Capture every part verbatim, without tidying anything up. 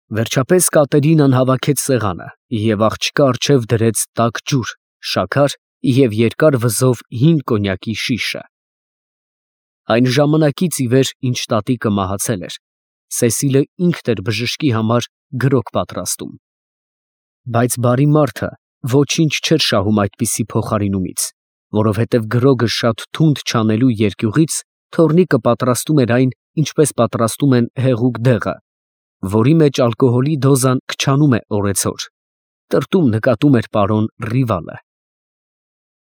Վերջապես Կատերինան հավաքեց սեղանը և աղջկա առջև դրեց տաք ջուր, շաքար և երկար վզով հին կոնյակի շիշը։ Այն ժամանակից ի վեր, ինչ տատիկը մահացել էր, Սեսիլը ինքն էր բժշկի համար գրոգ պատրաստում։ Բայց բարի մարդը ոչինչ չէր շահում այդպիսի փոխարինումից, որովհետև գրոգը շատ թունդ չանելու երկյուղից թոռնիկը պատրաստում էր այն, ինչպես պատրաստում են հեղուկ դեղը, որի մեջ ալկոհոլի դոզան քչանում է օրեցօր, տրտում նկատում էր պարոն Ռիվալը։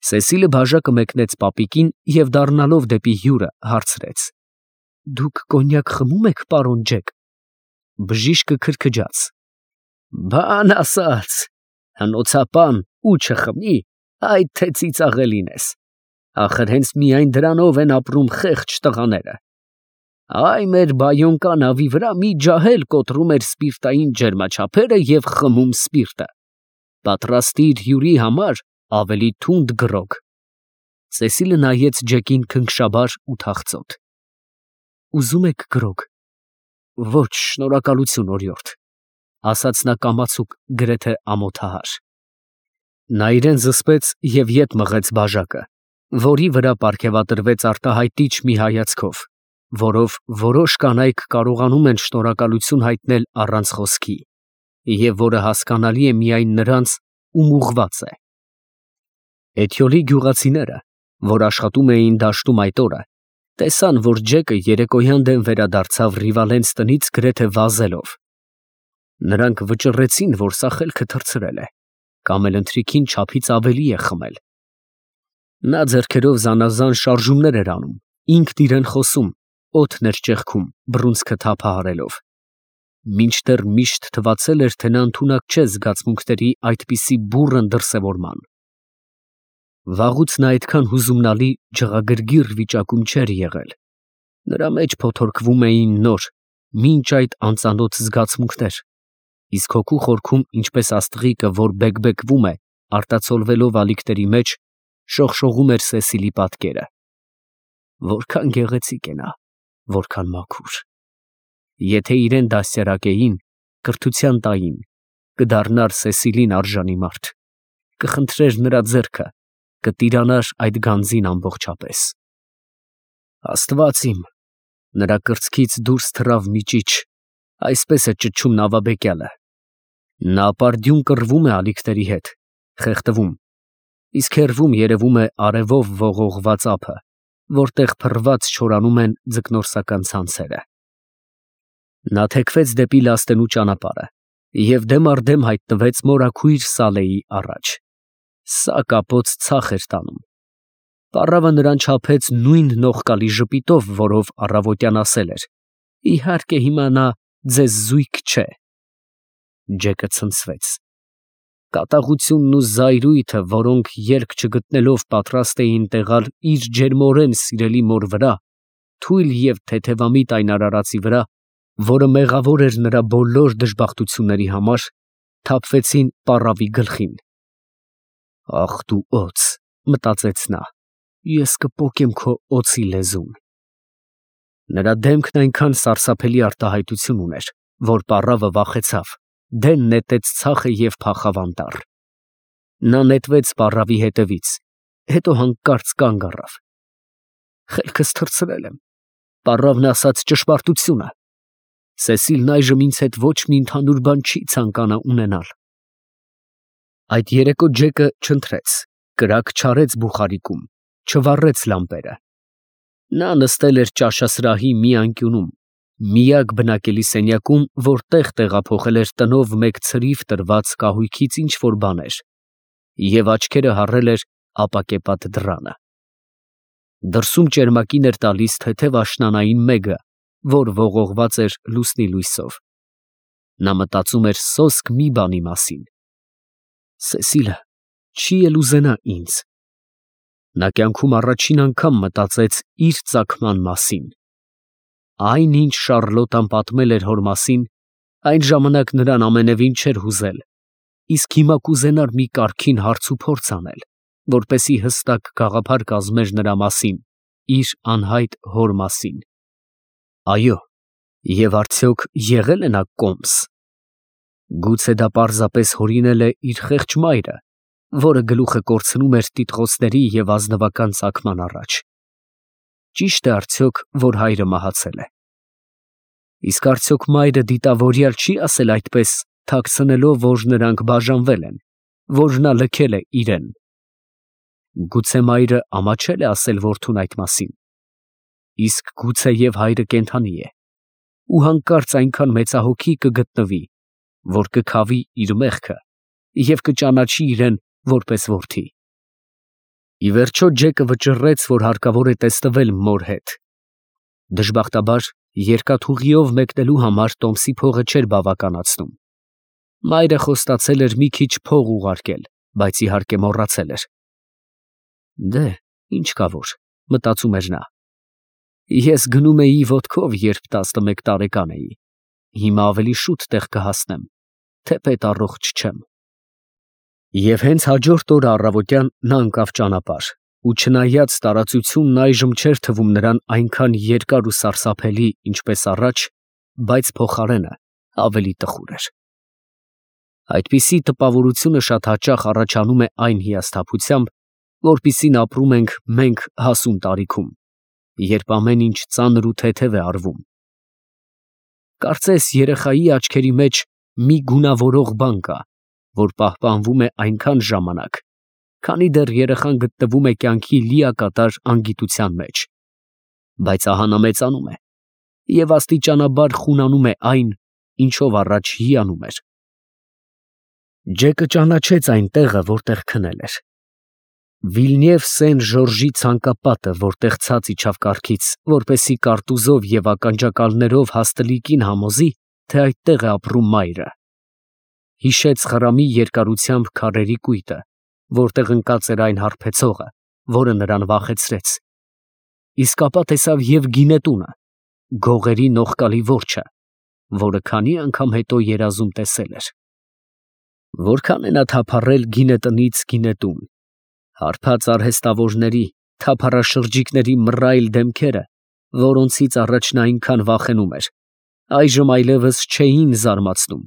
Սեսիլը բաժակը մեկնեց պապիկին և դառնալով դեպի հյուրը հարցրեց. «Դուք կոնյակ խմում եք, պարոն Ջեք»։ Բժիշկը քրքջաց. «Բան ասած, հնոցապան ու չխմի, այդ թե ծիծաղելին ես, ախր հենց միայն դրանով են ապրում խեղճ տղաները։ Այ մեր բայոնկա նավի վրա մի ջահել կոտրում էր սպիրտային ջերմաչափերը և խմում սպիրտը։ Պատրաստիր հյուրի համար ավելի թունդ գրոգ»։ Սեսիլը նայեց Ջեկին քնքշաբար ու թախծոտ։ «Ուզում եք գրոգ»։ «Ոչ, շնորհակալություն, օրիորդ», ասաց նա կամացուկ, գրեթե ամոթահար։ Նա իրան զսպեց և ետ մղեց բաժակը, որի վրա պարգևատրվեց արտահայտիչ մի հայացքով, որով որոշ կանայք կարողանում են շնորհակալություն հայտնել առանց խոսքի, և որը հասկանալի է միայն նրանց, ում ուղղված է։ Էթյոլի գյուղացիները, որ աշխատում էին դաշտում այդ օրը, տեսան, որ Ջեկը երեկոյան դեմ վերադարձավ Ռիվալենց տնից գրեթե վազելով։ Նրանք վճռեցին, որ սա խելքը թռցրել է, կամ էլ ընթրիքին չափից ավելի է խմել։ Նա ձեռքերով զանազան շարժումներ էր անում, ինքն իրան խոսում, օդն էր ճեղքում, բռունցքը թափահարելով։ Մինչդեռ միշտ թվացել էր, թե նա ընդունակ չէ զգացմունքների այդպիսի բուռն դրսևորման։ Վաղուց նա այդքան հուզումնալի, ջղագրգիռ վիճակում չէր եղել։ Նրա մեջ փոթորկվում էին նոր, մինչ այդ անծանոթ զգացմունքներ, իսկ հոգու խորքում, ինչպես աստղիկը, որ բեկբեկվում է, արտացոլվելով ալիքների մեջ, շողշողում էր Սեսիլի պատկերը։ Որքան գեղեցիկ է նա, որքան մաքուր։ Եթե իրան դաստիարակեին, կրթության տային, կդառնար Սեսիլին արժանի մարդ, կխնդրեր նրա ձեռքը, կտիրանար այդ գանձին ամբողջապես։ Աստված իմ, նրա կրծքից դուրս թռավ մի ճիչ, այսպես է ճչում նավաբեկյալը։ Նա ապարդյուն կռվում է ալիքների հետ, խեղդվում, իսկ հեռվում երևում է արևով ողողված ափը, որտեղ փռված չորանում են ձկնորսական ցանցերը։ Նա թեքվեց դեպի լաստենու ճանապարհը և դեմ առ դեմ հայտնվեց մորաքույր Սալեի առաջ։ Սա կապոց ցախ էր տանում։ Պառավը նրան չափեց նույն նողկալի ժպիտով, որով առավոտյան ասել էր. «Իհարկե հիմա նա ձեզ զույգ չէ»։ Ջեկը ցնցվեց։ Կատաղությունն ու զայրույթը, որոնք երկ չգտնելով պատրաստ էին տեղալ իր ջերմորեն սիրելի մոր վրա, թույլ և թեթևամիտ այն արարածի վրա, որը մեղավոր էր նրա բոլոր դժբախտությունների համար, թափվեցին պառավի գլխին։ «Ախ դու օձ», մտածեց նա, «ես կպոկեմ քո օձի լեզուն»։ Նրա դեմքն այնքան սարսափելի արտահայտություն ուներ, որ պառավը վախեցավ, դեն նետեց ցախը և փախավ անտառ։ Նա նետվեց պառավի հետևից, հետո հանկարծ կանգ առավ։ «Խելքս թռցրել եմ, պառավն ասաց ճշմարտությունը։ Սեսիլն այժմ ինձ հետ ոչ մի ընդհանուր բան չի ցանկանա ունենալ»։ Այդ երեկո Ջեկը չընթրեց, կրակ չարեց բուխարիկում, չվառեց լամպերը։ Նա նստել էր ճաշասրահի մի անկյունում, միակ բնակելի սենյակում, որ տեղ տեղափոխել էր տնով մեկ ցրիվ տրված կահույքից ինչ֊որ բաներ, և աչքերը հառել էր ապակեպատ դռանը։ Դրսում ճերմակին էր տալիս թեթև աշնանային մեգը, որ ողողված էր լուսնի լույսով։ Նա մտածում էր սոսկ մի բանի մասին. «Սեսիլը չի էլ ուզենա ինձ»։ Նա կյանքում առաջին անգամ մտածեց իր ծագման մասին։ Այն, ինչ Շառլոտան պատմել էր հոր մասին, այն ժամանակ նրան ամենևին չէր հուզել, իսկ հիմա կուզենար մի կարգին հարցուփորձ անել, որպեսզի հստակ գաղափար կազմեր նրա մասին, իր անհայտ հոր մասին։ Այո, և արդյոք եղե՞լ է նա կոմս։ Գուցե դա պարզապես հորինել է իր խեղճ մայրը, որը գլուխը կորցնում էր տիտղոսների և ազնվական ծագման առաջ։ Ճիշտ է արդյոք, որ հայրը մահացել է։ Իսկ արդյոք մայրը դիտավորյալ չի ասել այդպես, թաքցնելով, որ նրանք բաժանվել են, որ նա լքել է իրեն։ Գուցե մայրը ամաչել է ասել որդուն այդ մասին։ Իսկ գուցե և հայրը կենդանի է, ու հանկարծ այնքան մեծահոգի կգտնվի, որ կքավի իր մեղքը և կճանաչի իրեն որպես որդի։ Ի վերջո Ջեկը վճռեց, որ հարկավոր է տեսնվել մոր հետ։ Դժբախտաբար երկաթուղիով մեկնելու համար տոմսի փողը չէր բավականացնում։ Մայրը խոստացել էր մի քիչ փող ուղարկել, բայց իհարկե մոռացել էր։ Դե, ինչ կա որ, մտածում էր նա։ Ես գնում էի ոտքով, երբ տասնմեկ տարեկան էի, հիմա ավելի շուտ տեղ կհասնեմ, թեպետ առողջ չեմ։ Եվ հենց հաջորդ օրը առավոտյան նա ընկավ ճանապարհ, ու չնայած տարածությունն այժմ չէր թվում նրան այնքան երկար ու սարսափելի, ինչպես առաջ, բայց փոխարենը ավելի տխուր էր։ Այդպիսի տպավորությունը շատ հաճախ առաջանում է այն հիասթափությամբ, որպիսին ապրում ենք մենք հասուն տարիքում, երբ ամեն ինչ ծանր ու թեթև է արվում։ Կարծես երեխայի աչքերի մեջ մի գունավորող բան կա, որ պահպանվում է այնքան ժամանակ, քանի դեռ երեխան գտնվում է կյանքի լիակատար անգիտության մեջ, բայց ահա նա մեծանում է և աստիճանաբար խունանում է այն, ինչով առաջ հիանում էր։ Ջեկը ճանաչեց այն տեղը, որտեղ քնել էր։ Վիլնև Սեն Ժորժի ցանկապատը, որտեղ ցած իջավ կառքից, որպեսզի կարտուզով և ականջակալներով հաստլիկին համոզի, թե այդտեղ է ապրում մայրը։ Հիշեց խրամի երկարությամբ քարերի կույտը, որտեղ ընկած էր այն հարբեցողը, որը նրան վախեցրեց։ Իսկ ապա տեսավ և գինետունը, գողերի նողկալի որջը, որը քանի անգամ հետո երազում տեսել էր։ Որքան է նա թափառել գինետնից գինետուն, հարբած արհեստավորների, թափառաշրջիկների մռայլ դեմքերը, որոնցից առաջ նա այնքան վախենում էր, այժմ այլևս չէին զարմացնում,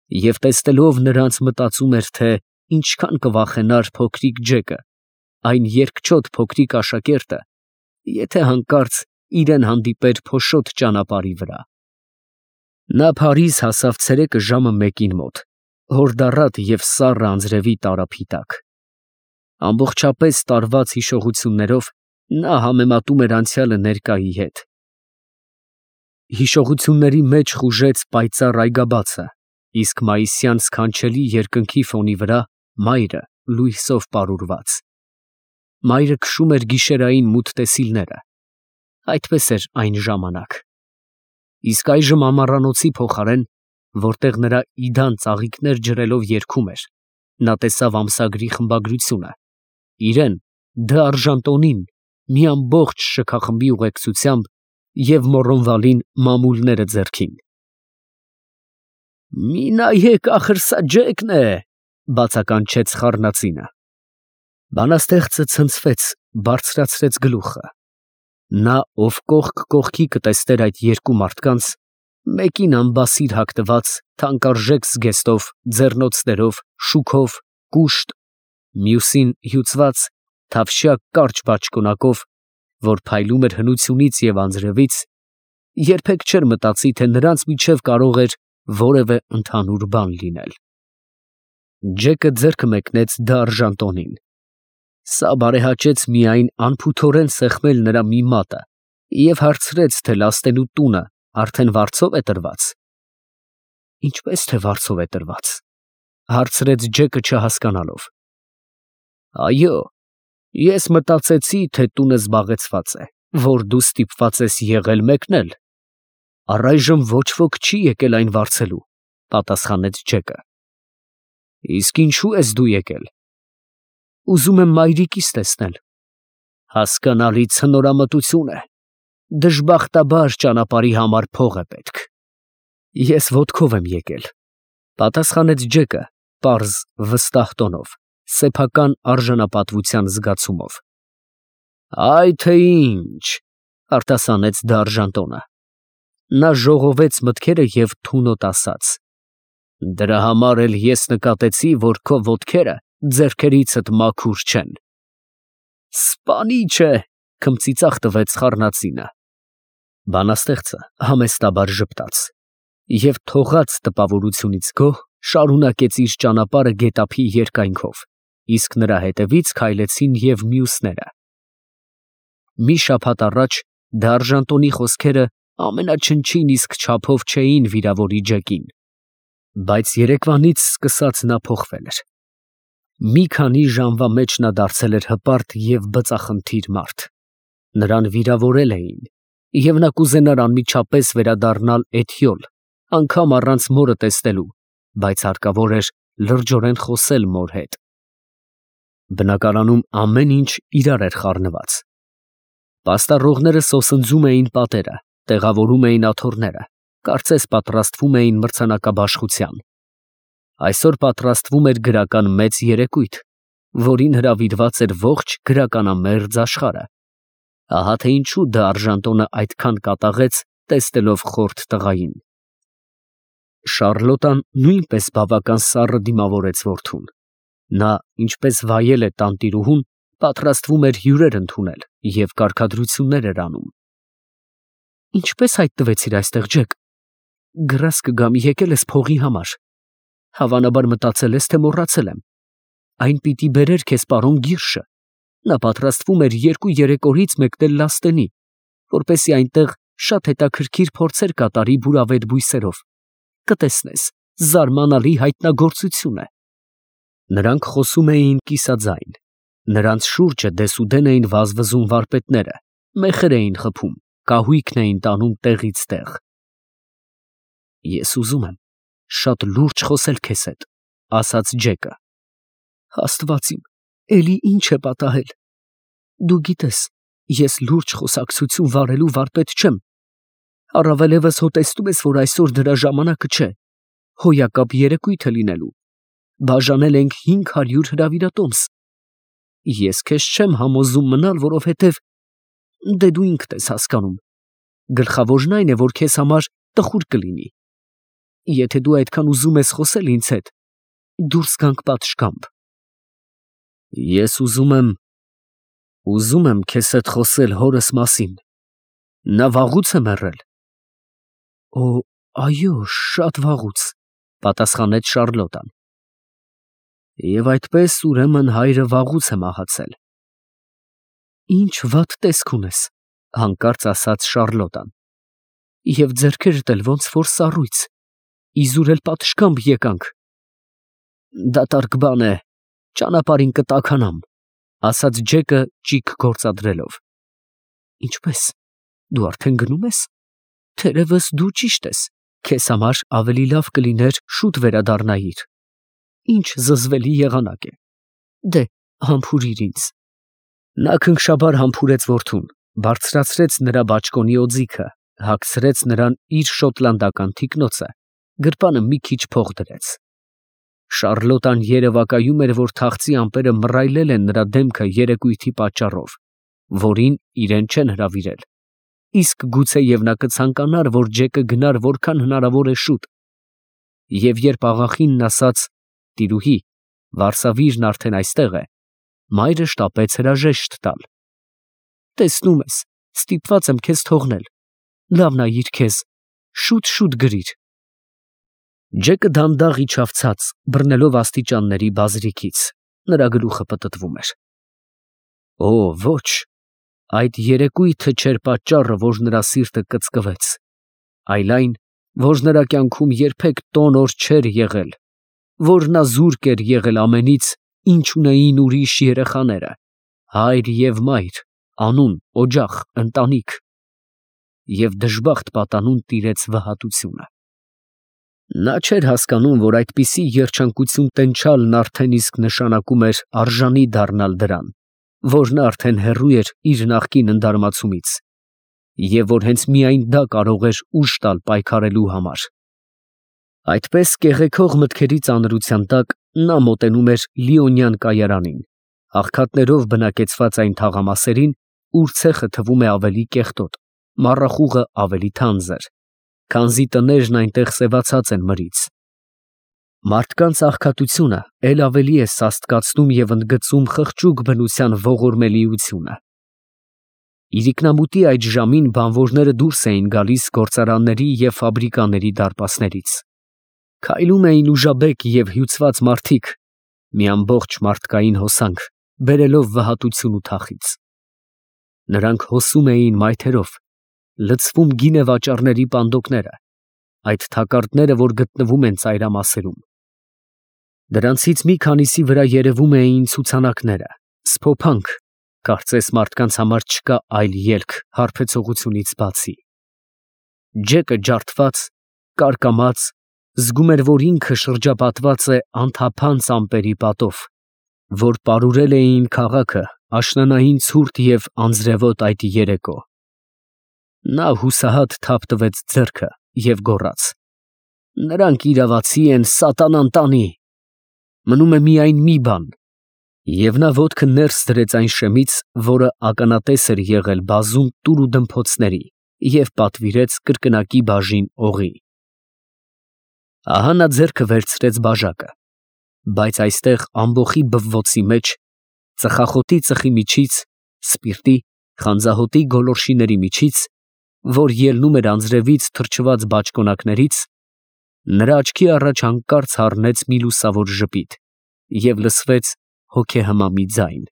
և տեսնելով նրանց մտածում էր, թե ինչքան կվախենար փոքրիկ Ջեկը, այն երկչոտ փոքրիկ աշակերտը, եթե հանկարծ իրեն հանդիպեր փոշոտ ճանապարհի վրա։ Նա Փարիզ հասավ ցերեկը ժամը մեկին մոտ, հորդառատ և սառը անձրևի տարափի տակ։ Ամբողջապես տարված հիշողություններով նա համեմատում էր անցյալը ներկայի հետ։ Հիշողությունների մեջ խուժեց պայծառ այգաբացը, իսկ մայիսյան սքանչելի երկնքի ֆոնի վրա մայրը լույսով պարուրված։ Մայրը քշում էր գիշերային մութ տեսիլները։ Այդպես էր այն ժամանակ։ Իսկ այժմ ամառանոցի փոխարեն, որտեղ նրա իդան ծաղիկներ ջրելով երգում էր, նա տեսավ ամսագրի խմբագրությունը, իրեն, Դ'Արժանտոնին, մի ամբողջ շքախմբի ուղեկցությամբ և Մոռոնվալին մամուլները ձեռքին։ «Մի նայեք, ախր սա Ջեկն է», ֊ բացականչեց խառնածինը։ Բանաստեղծը ցնցվեց, բարձրացրեց գլուխը։ Նա, ով կողք կողքի կտեսներ այդ երկու մարդկանց, մեկին անբասիր հագնված, թանկարժեք զգեստով, ձեռնոցներով, շուքով, կուշտ, մյուսին հյուծված, թավշյա կարճ բաճկոնակով, որ փայլում էր հնությունից և անձրևից, երբեք չէր մտածի, թե նրանց միջև կարող էր որևէ ընդհանուր բան լինել։ Ջեկը ձեռքը մեկնեց Դ'Արժանտոնին։ Սա բարեհաճեց միայն անփութորեն սեղմել նրա մի մատը և հարցրեց, թե լաստենու տունը արդեն վարձով է տրված։ «Ինչպես թե վարձով է տրված, ֊ հարցրեց Ջեկը չհասկանալով։ ֊ Այո, ես մտածեցի, թե տունը զբաղեցված է, որ դու ստիպված ես եղել մեկնել։ Առայժմ ոչ ոք չի եկել այն վարձելու, ֊ պատասխանեց Ջեկը։ ֊ Իսկ ինչո՞ւ ես դու եկել։ ֊ Ուզում եմ մայրիկիս տեսնել։ ֊ Հասկանալի ցնորամտություն է, դժբախտաբար ճանապարհի համար փող է պետք։ ֊ Ես ոտքով եմ եկել, ֊ պատասխանեց Ջեկը պարզ, վստահ տոնով, սեփական արժանապատվության զգացումով։ ֊ Այ թե ինչ, ֊ արտասանեց Դ'Արժանտոնը։ Նա ժողովեց մտքերը և թունոտ ասաց. Դրա համար էլ ես նկատեցի, որ քո ոտքերը ձեռքերիցդ մաքուր չեն։ Սպանիչ է, քմծիծաղ տվեց խառնածինը։ Բանաստեղծը համեստաբար ժպտաց և թողած տպավորությունից գոհ շարունակեց իր ճանապարհը գետափի երկայնքով, իսկ նրա հետևից քայլեցին և մյուսները։ Մի շաբաթ առաջ դարժանտոնի խոսքերը ամենաչնչին իսկ չափով չէին վիրավորի Ջեկին, բայց երեկվանից սկսած նա փոխվել էր։ Մի քանի ժամվա մեջ նա դարձել էր հպարտ և բծախնդիր մարդ։ Նրան վիրավորել էին, և նա կուզենար անմիջապես վերադառնալ Էթյոլ, անգամ առանց մորը տեսնելու, բայց հարկավոր էր լրջորեն խոսել մոր հետ։ Բնակարանում ամեն ինչ իրար էր խառնված։ Պաստառողները սոսնձում էին պատերը, տեղավորում էին աթոռները, կարծես պատրաստվում էին մրցանակաբաշխության։ Այսօր պատրաստվում էր գրական մեծ երեկույթ, որին հրավիրված էր ողջ գրականամերձ աշխարհը։ Ահա թե ինչու դարժանտոնը այդքան կատաղեց, տեսնելով խորթ տղային։ Շառլոտան նույնպես բավական սառը դիմավորեց որդուն։ Նա, ինչպես վայել է տանտիրուհուն, պատրաստվում էր հյուրեր ընդունել և կարգադրություններ էր անում։ Ինչպե՞ս հայտնվեցիր այստեղ, Ջեք։ Գրազ կգամ, եկել ես փողի համար։ Հավանաբար մտածել ես, թե մոռացել եմ։ Այն պիտի բերեր քեզ պարոն Գիրշը։ Նա պատրաստվում էր երկու֊երեք օրից մեկնել Լաստենի, որպեսզի այնտեղ շատ հետաքրքիր փորձեր կատարի բուրավետ բույսերով։ Կտեսնես, զարմանալի հայտնագործություն է։ Նրանք խոսում էին կիսաձայն։ Նրանց շուրջը դեսուդեն էին վազվզում վարպետները, մեխեր էին խփում, կահույքն էին տանում տեղից տեղ։ Ես ուզում եմ շատ լուրջ խոսել քեզ հետ, ասաց Ջեկը։ Աստված իմ, էլի ինչ է պատահել։ Դու գիտես, ես լուրջ խոսակցություն վարելու վարպետ չեմ։ Առավելևս հո տեսնում ես, որ այսօր դրա ժամանակը չէ, հոյակապ երեկույթ է լինելու։ Բաժանել ենք հինգ հարյուր հրավիրատոմս։ Ես քեզ չեմ համոզում մնալ, որովհետև դե դու ինքդ ես հասկանում։ Գլխավորն այն է, որ քեզ համար տխուր կլինի։ Եթե դու այդքան ուզում ես խոսել ինձ հետ, դուրս գանք պատշգամբ։ Ես ուզում եմ, ուզում եմ քեզ հետ խոսել հորս մասին։ Նա վաղուց է մեռել։ Օ, այո, շատ վաղուց, պատասխանեց Շառլոտան։ Եվ այդպես ուրեմն հայրը վաղուց է մահացել։ Ինչ վատ տեսք ունես, հանկարծ ասաց Շառլոտան։ Եվ ձեռքերդ էլ ոնց որ սառույց, իզուր էլ պատշգամբ եկանք։ Դատարկ բան է, ճանապարհին կտաքանամ, ասաց Ջեկը ճիգ գործադրելով։ Ինչպես, դու արդեն գնում ես։ Թերևս դու ճիշտ ես, քեզ համար ավելի լավ կլիներ շուտ վերադառնայիր։ Ինչ զզվելի եղանակ է։ Դե, համբուրիր ինձ։ Նա քնքշաբար համբուրեց որդուն, բարձրացրեց նրա բաճկոնի օձիքը, հագցրեց նրան իր շոտլանդական թիկնոցը, գրպանը մի քիչ փող դրեց։ Շառլոտան երևակայում էր, որ թախծի ամպերը մռայլել են նրա դեմքը երեկույթի պատճառով, որին իրեն չեն հրավիրել, իսկ գուցեև նա կցանկանար, որ Ջեկը գնար որքան հնարավոր է շուտ։ Եվ երբ աղախինն ասաց. «Տիրուհի, վարսավիրն արդեն այստեղ է», մայրը շտապեց հրաժեշտ տալ։ Տեսնում ես, ստիպված եմ քեզ թողնել։ Լավ նայիր քեզ, շուտ֊շուտ գրիր։ Ջեկը դանդաղ իջավ ցած, բռնելով աստիճանների բազրիքից, նրա գլուխը պտտվում էր։ Օ, ոչ, այդ երեկույթը չէր պատճառը, որ նրա սիրտը կծկվեց, այլ այն, որ նրա կյանքում երբեք տոն օր չէր եղել, որ նա զուրկ էր եղել ամենից, ինչ ունեին ուրիշ երեխաները, հայր և մայր, անուն, օջախ, ընտանիք, և դժբախտ պատանուն տիրեց վհատությունը։ Նա չէր հասկանում, որ այդպիսի երջանկություն տենչալն արդեն իսկ նշանակում էր արժանի դառնալ դրան, որ նա արդեն հեռու էր իր նախկին ընդարմացումից, և որ հենց միայն դա կարող էր ուժ տալ պայքարելու համար։ Այդպես կեղեքող մտքերի ծանրության տակ նա մոտենում էր Լիոնյան կայարանին, աղքատներով բնակեցված այն թաղամասերին, ուր ցեխը թվում է ավելի կեղտոտ, մառախուղը ավելի թանձր, քանզի տներն այնտեղ սևացած են մրից։ Մարդկանց աղքատությունը էլ ավելի է սաստկացնում և ընդգծում խղճուկ բնության ողորմելիությունը։ Իրիկնամուտի այդ ժամին բանվորները դուրս էին գալիս գործարանների և ֆաբրիկաների դարպասներից. քայլում էին ուժաբեկ և հյուծված մարդիկ, մի ամբողջ մարդկային հոսանք բերելով վհատություն ու թախիծ։ Նրանք հոսում էին մայթերով, լցվում գինեվաճառների պանդոկները, այդ թակարդները, որ գտնվում են ծայրամասերում։ Դրանցից մի քանիսի վրա երևում էին ցուցանակները, սփոփանք, կարծես մարդկանց համար չկա այլ ելք հարբեցողությունից բացի։ Ջեկը ջարդված, կարկամած, զգում էր, որ ինքը շրջապատված է անթափանց ամպերի պատով, որ պարուրել էին քաղաքը աշնանային ցուրտ և անձրևոտ այդ երեկո։ Նա հուսահատ թափ տվեց ձեռքը և գոռաց. «Նրանք իրավացի են, սատանան տանի։ Մնում է միայն մի բան»։ Եվ նա ոտքը ներս դրեց այն շեմից, որը ականատես էր եղել բազում տուր ու դմփոցների, և պատվիրեց կրկնակի բաժին օղի։ Ահա նա ձեռքը վերցրեց բաժակը, բայց այստեղ ամբոխի բվոցի մեջ, ծխախոտի ծխի միջից, սպիրտի, խանձահոտի գոլորշիների միջից, որ ելնում էր անձրևից թրջված բաճկոնակներից, նրա աչքի առաջ հանկարծ հառնեց մի լուսավոր ժպիտ և լսվեց հոգեհմամի ձայն.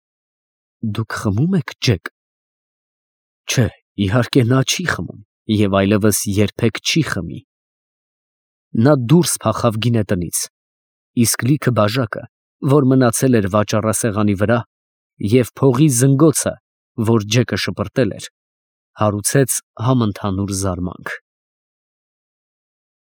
«Դուք խմում եք, Ջեք»։ Չէ, իհարկե, նա չի խմում և այլևս երբեք չի խմի։ Նա դուրս փախավ գինետնից, իսկ լիքը բաժակը, որ մնացել էր վաճառասեղանի վրա, և փողի զնգոցը, որ Ջեկը շպրտել էր, հարուցեց համընդհանուր զարմանք։